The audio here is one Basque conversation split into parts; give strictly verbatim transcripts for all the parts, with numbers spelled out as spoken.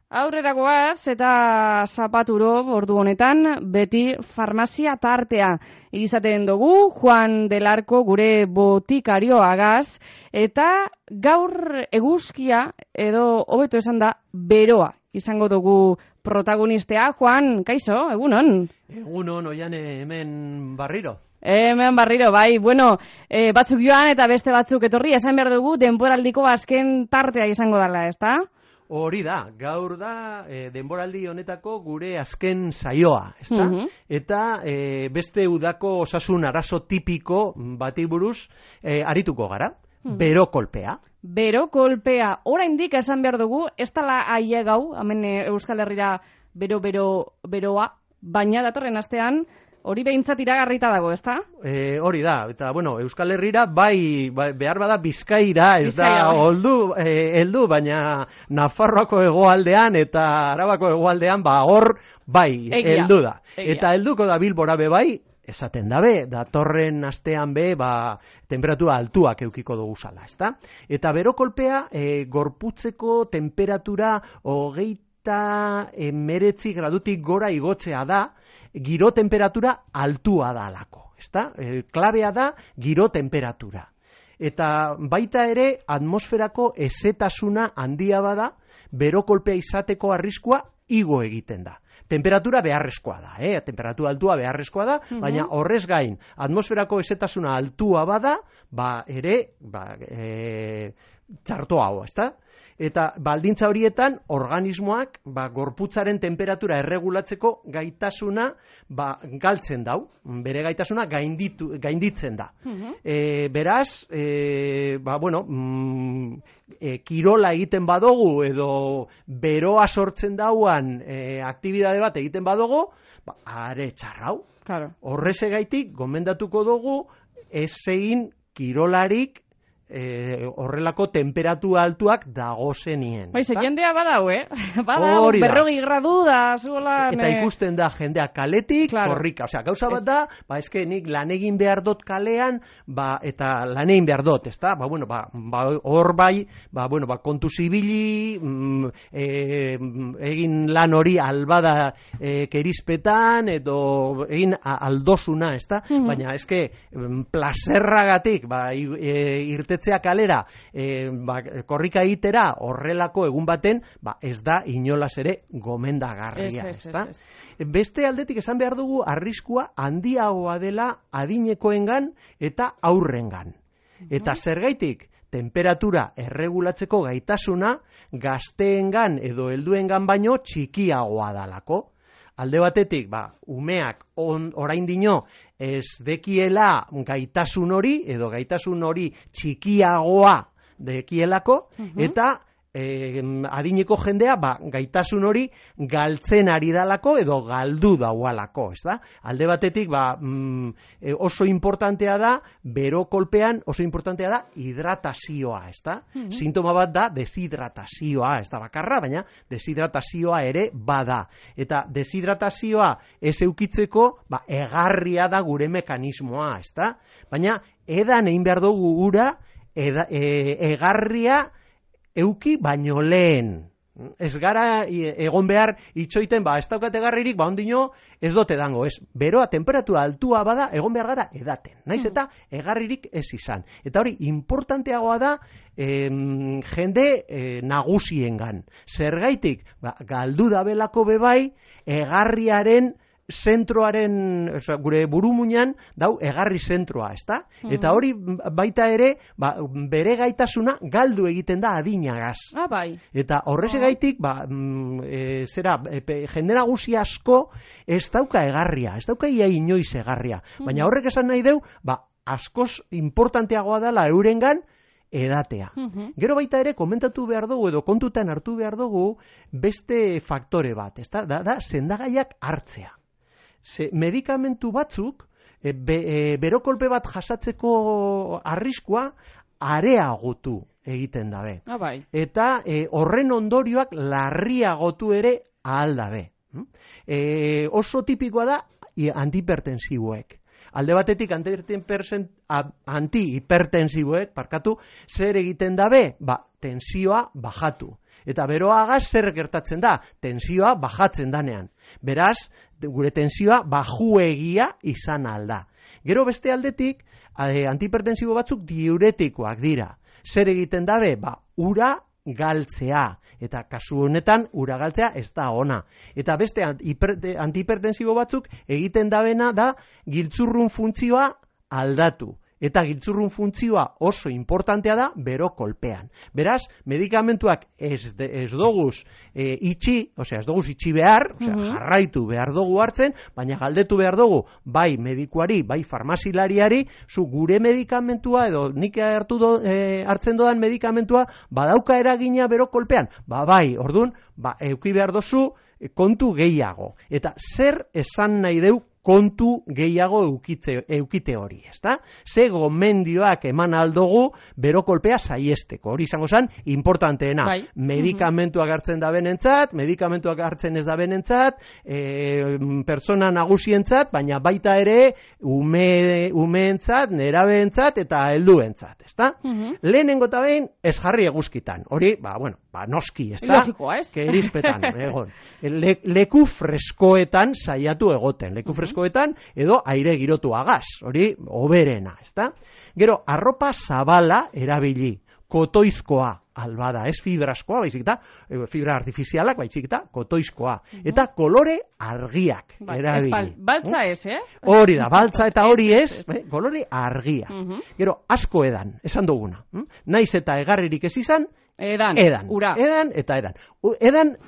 Aurrera goaz eta zapaturo ordu honetan beti farmazia tartea izaten dugu Juan del Arco gure botikarioagaz eta gaur eguzkia edo hobeto esan da beroa izango dugu protagonistea. Juan, kaixo, egunon? Egunon, oiane hemen barriro. Hemen barriro, bai, bueno, e, batzuk joan eta beste batzuk etorri, esan behar dugu denboraldiko azken tartea izango dela, ezta? Hori da, gaur da e, denboraldi honetako gure azken saioa, ezta? Uh -huh. Eta e, beste udako osasun arazo tipiko bati buruz e, arituko gara, uh -huh. Bero kolpea. Bero kolpea, oraindik esan behar dugu, ez dela ailegau, hemen Euskal Herrira bero-bero beroa, baina datorren astean, hori behintzat iragarrita dago, ezta? E, hori da, eta bueno, Euskal Herrira bai, bai behar bada Bizkaira, ez Bizkaira, da, oldu, e, eldu, baina Nafarroako hegoaldean eta Arabako hegoaldean, ba, hor bai, Egia. heldu da. Egia. Eta helduko da Bilbora be bai, esaten dabe, datorren astean be, ba, temperatura altuak eukiko dugu zala, ezta? Eta bero kolpea, e, gorputzeko temperatura hogeita emeretzi gradutik gora igotzea da, giro temperatura altua da alako, ezta? E, klabea da giro temperatura. Eta baita ere atmosferako ezetasuna handia bada, bero kolpea izateko arriskua igo egiten da. Temperatura beharrezkoa da, eh? Temperatura altua beharrezkoa da, uh-huh. Baina horrez gain, atmosferako ezetasuna altua bada, ba ere, ba, e, txarto hau, ezta? Eta baldintza horietan, organismoak ba, gorputzaren temperatura erregulatzeko gaitasuna ba, galtzen dau, bere gaitasuna gainditu, gainditzen da. Uh-huh. E, beraz, e, ba, bueno, mm, e, kirola egiten badogu edo beroa sortzen dauan e, aktibidade bat egiten badogu, ba, are txarrau. Claro. Horrezegaitik, gomendatuko dugu, ez egin kirolarik E, horrelako temperatura altuak dagozenien. Baize, jendea badau, eh? Badau, berrogi gradu da, zuola... Eta ikusten da jendea kaletik, claro. Korrika. Osea, gauza bat da, ba, eske nik lan egin behar dut kalean, ba, eta lan egin behar dut, ezta? Ba, bueno, ba, ba, hor bai, ba, bueno, ba, kontu zibili, mm, e, egin lan hori albada e, kerizpetan, edo egin aldosuna, ezta? Mm-hmm. Baina, eske, plazerragatik, ba, e, irte kalera, e, ba, korrika egitera horrelako egun baten, ba, ez da inolaz ere gomendagarria, ez, ez, ez, ez. Beste aldetik esan behar dugu arriskua handiagoa dela adinekoengan eta aurrengan. Uh-huh. Eta zergaitik, temperatura erregulatzeko gaitasuna gazteengan edo helduengan baino txikiagoa dalako. Alde batetik, ba, umeak on, orain dino ez dekiela gaitasun hori, edo gaitasun hori txikiagoa dekielako, uh-huh. Eta e, adineko jendea ba, gaitasun hori galtzen ari dalako, edo galdu daualako, ez da? Alde batetik, ba, mm, oso importantea da, bero kolpean oso importantea da hidratazioa, ez da? Uh-huh. Sintoma bat da deshidratazioa, ez da bakarra, baina deshidratazioa ere bada. Eta deshidratazioa ez eukitzeko, ba, egarria da gure mekanismoa, ez da? Baina edan egin behar dugu gura, eda, e, egarria euki baino lehen. Ez gara egon behar itxoiten, ba, ez daukat egarririk, ba, ondino ez dote dango, ez. Beroa, temperatura altua bada, egon behar gara edaten. Naiz eta egarririk ez izan. Eta hori, importanteagoa da em, jende e, nagusiengan. Zergaitik, ba, galdu dabelako bebai, egarriaren zentroaren, oza, gure burumuinan dau egarri zentroa, ezta? Mm. Eta hori baita ere, ba, bere gaitasuna galdu egiten da adinagaz. Ah, bai. Eta horrezegaitik, ba, e, zera, e, jende nagusi asko ez dauka egarria, ez dauka ia inoiz egarria. Mm. Baina horrek esan nahi deu, ba, askoz importanteagoa dela eurengan edatea. Uh-huh. Gero baita ere, komentatu behar dugu edo kontutan hartu behar dugu beste faktore bat, ezta? Da, da, sendagaiak hartzea. Ze, medikamentu batzuk, e, be, e, berokolpe bat jasatzeko arriskua areagotu egiten dabe. Ah, bai. Eta e, horren ondorioak larriagotu ere ahal dabe. E, oso tipikoa da antihipertensiboek. alde batetik antihipertensiboek, parkatu, zer egiten dabe? Ba, tensioa bajatu. Eta beroa agaz zer gertatzen da? Tensioa bajatzen danean. Beraz, gure tensioa bajuegia izan alda. Gero beste aldetik, antihipertensibo batzuk diuretikoak dira. Zer egiten dabe? Ba, ura galtzea. Eta kasu honetan, ura galtzea ez da ona. Eta beste antihipertensibo batzuk egiten dabena da giltzurrun funtzioa aldatu. Eta giltzurrun funtzioa oso importantea da bero kolpean. Beraz, medikamentuak ez, de, ez doguz e, itxi, osea, ez doguz itxi behar, osea, mm-hmm. jarraitu behar dugu hartzen, baina galdetu behar dugu, bai medikuari, bai farmazilariari, zu gure medikamentua, edo nik hartu do, e, hartzen dodan medikamentua, badauka eragina bero kolpean. Ba, bai, ordun, ba, euki behar dozu kontu gehiago. Eta zer esan nahi deu kontu gehiago eukite, eukite hori, ezta? Ze gomendioak eman aldogu bero kolpea saiesteko. Hori izango zen, importanteena. Bai. Medikamentuak hartzen da benentzat, medikamentuak hartzen ez da benentzat, e, persona nagusientzat, baina baita ere ume, umeentzat, nerabeentzat eta helduentzat, ezta? Uh-huh. Lehenengo eta behin ez jarri eguzkitan. Hori, ba, bueno, ba, noski, ezta? Logikoa, ez? Kerizpetan, egon. Le, leku freskoetan saiatu egoten. Leku freskoetan edo aire girotu agaz, hori oberena, ezta? Gero, arropa zabala erabili, kotoizkoa albada, ez fibraskoa, baizik eta, fibra artifizialak, baizik eta, kotoizkoa. Uh-huh. Eta kolore argiak ba, erabili. Bal, baltza ez, eh? Hori da, baltza eta hori ez, ez, ez. kolore argia. Uh-huh. Gero, asko edan, esan duguna. Hm? Naiz eta egarririk ez izan, edan, edan, ura. Edan eta edan. Edan,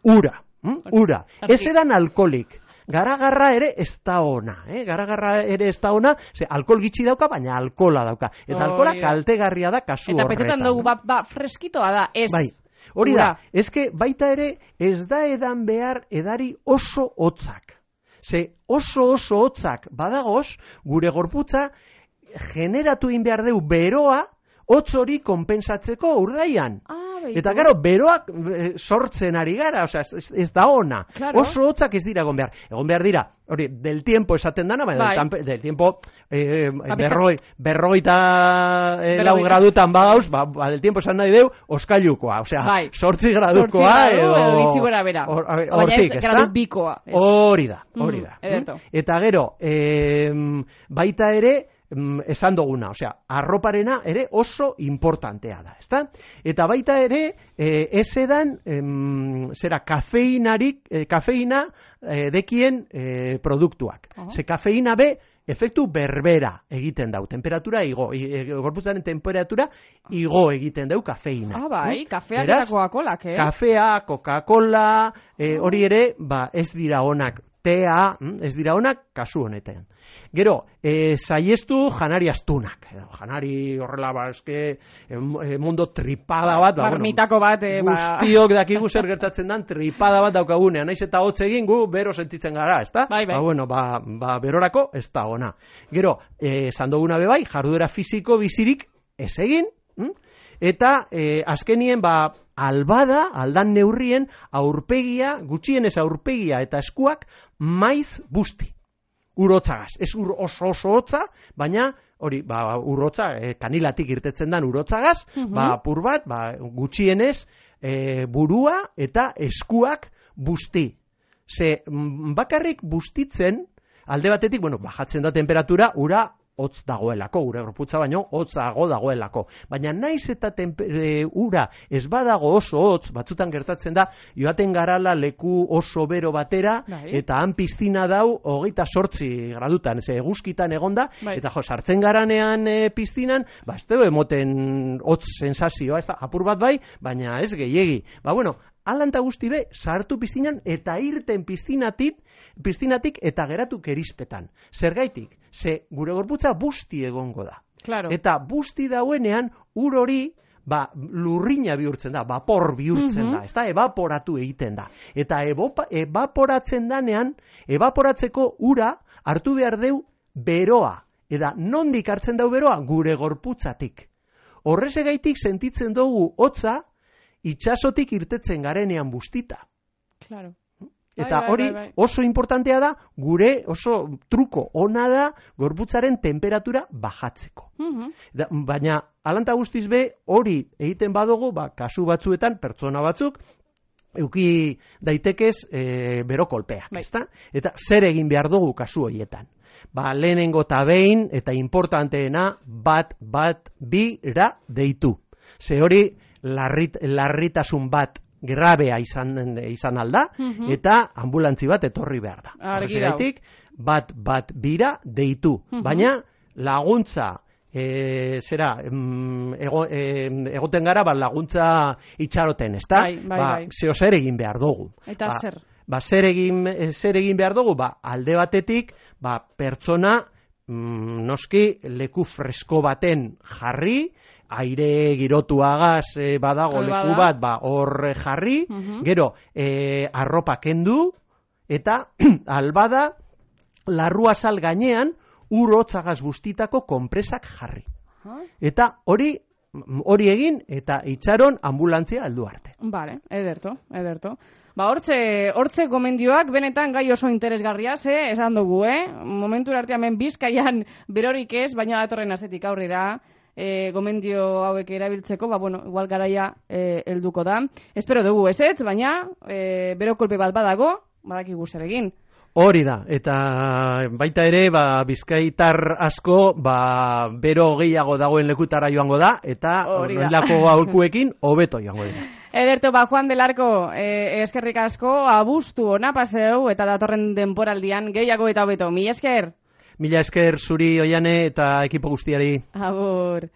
ura. Hm? Ura. Ez edan alkoholik. Garagarra ere ez da ona, eh? Garagarra ere ez da ona, ze alkohol gitxi dauka, baina alkohola dauka. Eta oh, alkohola kaltegarria da kasu horretan. Eta petzetan dugu, ba, ba, freskitoa da, ez. Bai, hori da, ezke baita ere ez da edan behar edari oso hotzak. Ze oso oso hotzak badagoz, gure gorputza generatu in behar deu beroa, hotz hori konpensatzeko urdaian. Ah. Eta gero, beroak sortzen ari gara, osea, ez, ez da ona. Claro. Oso hotzak ez dira egon behar. Egon behar dira, hori, del tiempo esaten dana, baina bai. del, del tiempo eh, berroi, berroita eh, lau gradutan bagauz, ba, ba, del tiempo esan nahi deu, oskailukoa, osea, bai. sortzi gradukoa, sortzi gradu, edo... Bitxi gora bera. Or, or, baina ez gradu bikoa. Hori da, hori da. Mm, eta gero, eh, baita ere, esan duguna, osea, arroparena ere oso importantea da, ezta? Eta baita ere, eh, ez edan, em, zera, kafeinarik, eh, kafeina eh, dekien eh, produktuak. Uh-huh. Ze kafeina be, efektu berbera egiten dau, temperatura igo, e, gorputzaren temperatura igo egiten dau kafeina. Ah, bai, mm? Kafeak eta Coca-Colak, eh? Kafea, Coca-Cola, eh, hori ere, ba, ez dira onak, tea, ez dira onak, kasu honetan. Gero, e, saiestu janari astunak. Edo, janari horrela, ba, eske, e, mundo tripada bat. Ba, Marmitako bat. E, guztiok dakigu zer gertatzen dan, tripada bat daukagunean. Naiz eta hotz egin gu, bero sentitzen gara, ezta? Bai, bai. Ba, bueno, ba, ba, berorako, ez da ona. Gero, e, sandoguna bebai, jarduera fisiko bizirik ez egin, hm? Eta e, azkenien, ba, albada, aldan neurrien, aurpegia, gutxienez aurpegia eta eskuak, maiz busti. Urotzagaz. Ez ur oso oso hotza, baina hori, ba, urotza, e, kanilatik irtetzen dan urotzagaz, uh-huh. ba, pur bat, ba, gutxienez, e, burua eta eskuak busti. Ze, bakarrik bustitzen, alde batetik, bueno, bajatzen da temperatura, ura hotz dagoelako, ura gorputza baino hotzago dagoelako. Baina naiz eta tempe, e, ura ez badago oso hotz, batzutan gertatzen da, joaten garala leku oso bero batera, bai. Eta han piztina dau hogeita sortzi gradutan, ze eguzkitan egonda, bai. Eta jo, sartzen garanean e, piztinan, ba, ez dugu emoten hotz sensazioa, ez da, apur bat bai, baina ez gehiegi. Ba, bueno, alanta guzti be, sartu piztinan eta irten piztinatik, piztinatik eta geratu kerizpetan. Zergaitik, ze gure gorputza busti egongo da. Claro. Eta busti dauenean, ur hori, ba, lurrina bihurtzen da, vapor bihurtzen uh-huh. da, ez da, evaporatu egiten da. Eta evopa, evaporatzen danean, evaporatzeko ura hartu behar deu beroa. Eta nondik hartzen dau beroa? Gure gorputzatik. Horrezegaitik sentitzen dugu hotza, itxasotik irtetzen garenean bustita. Claro. Eta bai, hori bai, bai. oso importantea da, gure oso truko ona da gorputzaren temperatura bajatzeko. Mhm. Da, baina, alanta guztiz be, hori egiten badugu, ba, kasu batzuetan, pertsona batzuk, euki daitekez e, bero kolpeak, Bai. ezta? Eta zer egin behar dugu kasu horietan? Ba, lehenengo eta behin, eta importanteena, bat, bat, bira deitu. Ze hori, larrit, larritasun bat grabea izan, izan alda, Mhm. eta ambulantzi bat etorri behar da. Argi dago. Horregatik, bat, bat, bira deitu. Mhm. Baina, laguntza, E, zera, em, ego, em, egoten gara, ba, laguntza itxaroten, ezta? Bai, bai, ba, bai. zeo zer egin behar dugu. Eta ba, zer? Ba, zer egin, eh, zer egin behar dugu? Ba, alde batetik, ba, pertsona, mm, noski, leku fresko baten jarri, aire girotuagaz e, badago Albada. leku bat, ba, hor jarri, Mhm. gero, e, arropa kendu, eta albada, larrua sal gainean, ur hotzagaz bustitako konpresak jarri. Ah, Eta hori hori egin eta itxaron ambulantzia heldu arte. Vale, ederto, ederto. Ba, hortze, hortze gomendioak benetan gai oso interesgarria, ze, esan dugu, eh? Momentu arte hemen Bizkaian berorik ez, baina datorren astetik aurrera, e, gomendio hauek erabiltzeko, ba, bueno, igual garaia e, helduko da. Espero dugu ezetz, baina e, bero kolpe bat badago, badakigu zer egin. Hori da, eta baita ere, ba, bizkaitar asko, ba, bero gehiago dagoen lekutara joango da, eta Hori da. horrelako aholkuekin hobeto joango dira. Ederto, ba, Juan del Arco, e, eskerrik asko, abustu ona paseu, eta datorren denporaldian gehiago eta hobeto. Mila esker? Mila esker zuri Oiane eta ekipo guztiari. Agur.